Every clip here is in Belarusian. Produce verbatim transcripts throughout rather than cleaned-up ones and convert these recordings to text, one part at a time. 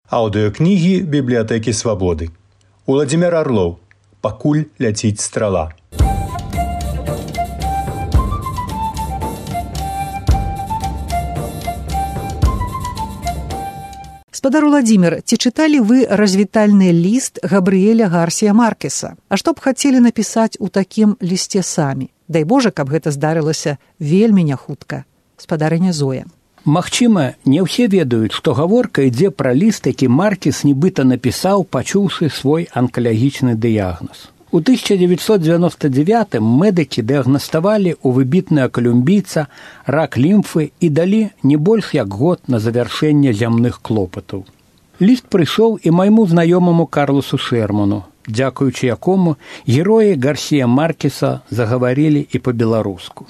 Аўдыёкнігі бібліятэкі Свабоды. Уладзімір Арлоў. Пакуль ляціць страла. Спадар Уладзімір, ці чыталі вы развітальны ліст Габрыэля Гарсія Маркеса? А што б хацелі напісаць у такім лісце самі? Дай Божа, каб гэта здарылася вельмі няхутка. Спадарыня Зоя. Магчыма, не ўсе ведаюць, што гаворка ідзе пра ліст, які Маркес нібыта напісаў, пачуўшы свой анкалагічны дыягназ. У тысяча дзевяцьсот дзевяноста дзевятым медыкі дыягнаставалі ў выбітнага колумбійца рак лімфы і далі не больш як год на завяршэнне зямных клопатаў. Ліст прыйшоў і майму знаёмаму Карлосу Шерману, дзякуючы якому героі Гарсія Маркеса загаварылі і па-беларуску.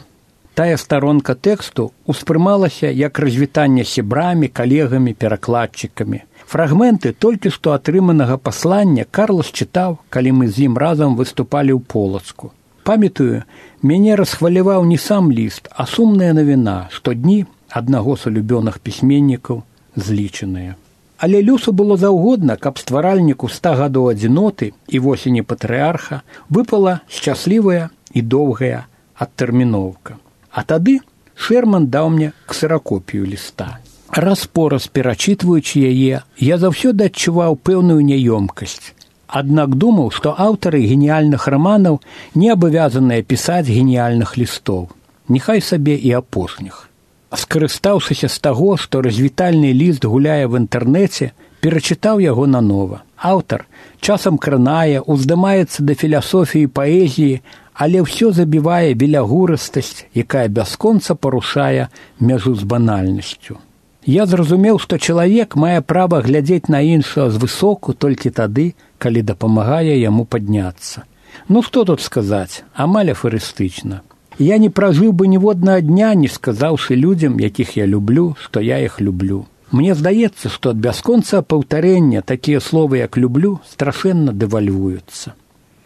Тая старонка тэксту ўспрымалася як развітанне сябрамі, калегамі, перакладчыкамі. Фрагменты толькі што атрыманага паслання Карлос чытаў, калі мы з ім разам выступалі ў Полацку. Памятаю, мяне расхваляваў не сам ліст, а сумная навіна, што дні аднаго з улюбёных пісьменнікаў злічаныя. Але Люсу было заўгодна, каб стваральніку ста гадоў адзіноты і восені патрыарха выпала шчаслівая і доўгая адтэрміноўка. А тады Шерман даў мне ксеракопію ліста. Раз-пораз перачытваючы яе, я заўсёды адчуваў пэўную няёмкасць. Аднак думаў, што аўтары геніяльных раманаў не абавязаныя пісаць геніяльных лістоў. Няхай сабе і апошніх. Скарыстаўшыся з таго, што развітальны ліст гуляе в інтэрнэце, перачытаў яго нанова. Аўтар часам кранае, уздымаецца да філасофіі і паэзіі, але ўсё забівае белягурыстасць, якая бясконца парушае мяжу з банальнасцю. Я зразумеў, што чалавек мае права глядзець на іншага звысоку толькі тады, калі дапамагае яму падняцца. Ну што тут сказаць, амаль афарыстычна. Я не пражыў бы ніводнага дня, не сказаўшы людзям, якіх я люблю, што я іх люблю. Мне здаецца, што ад бясконца паўтарэння такія словы, як люблю, страшэнна дэвальвуюцца.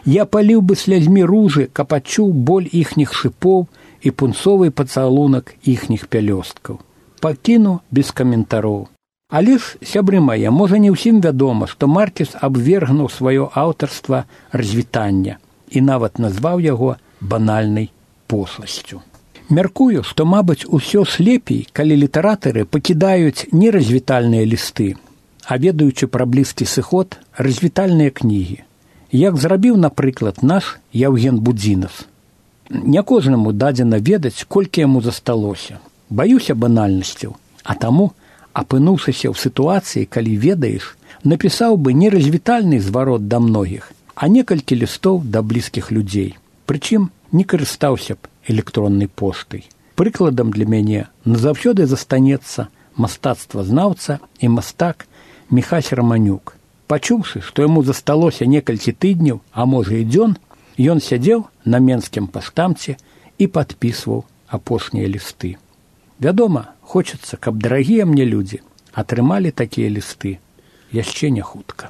Я паліў бы слязьмі ружы, каб адчуў боль іхніх шыпоў і пунцовы пацалунак іхніх пялёсткаў. Пакіну без каментароў. Але ж, сябры мае, можа не ўсім вядома, што Маркес абвергнуў сваё аўтарства развітання і нават назваў яго банальнай пошласцю. Мяркую, што, мабыць, усё ж лепей, калі літаратары пакідаюць не развітальныя лісты, а ведаючы пра блізкі сыход, развітальныя кнігі. Як зрабіў, напрыклад, наш Яўген Будзінас. Не кожнаму дадзена ведаць, колькі яму засталося. Баюся банальнасцяў, а таму, апынуўшыся ў сітуацыі, калі ведаеш, напісаў бы не развітальны зварот да многіх, а некалькі лістоў да блізкіх людзей. Прычым не карыстаўся б электроннай поштай. Прыкладам для мяне назаўсёды застанецца мастацтвазнаўца і мастак Міхась Раманюк. Пачуўшы, што яму засталося некалькі тыдняў, а можа і дзён, ён сядзеў на менскім паштамце і падпісваў апошнія лісты. Вядома, хочацца, каб дарагія мне людзі атрымалі такія лісты яшчэ не хутка.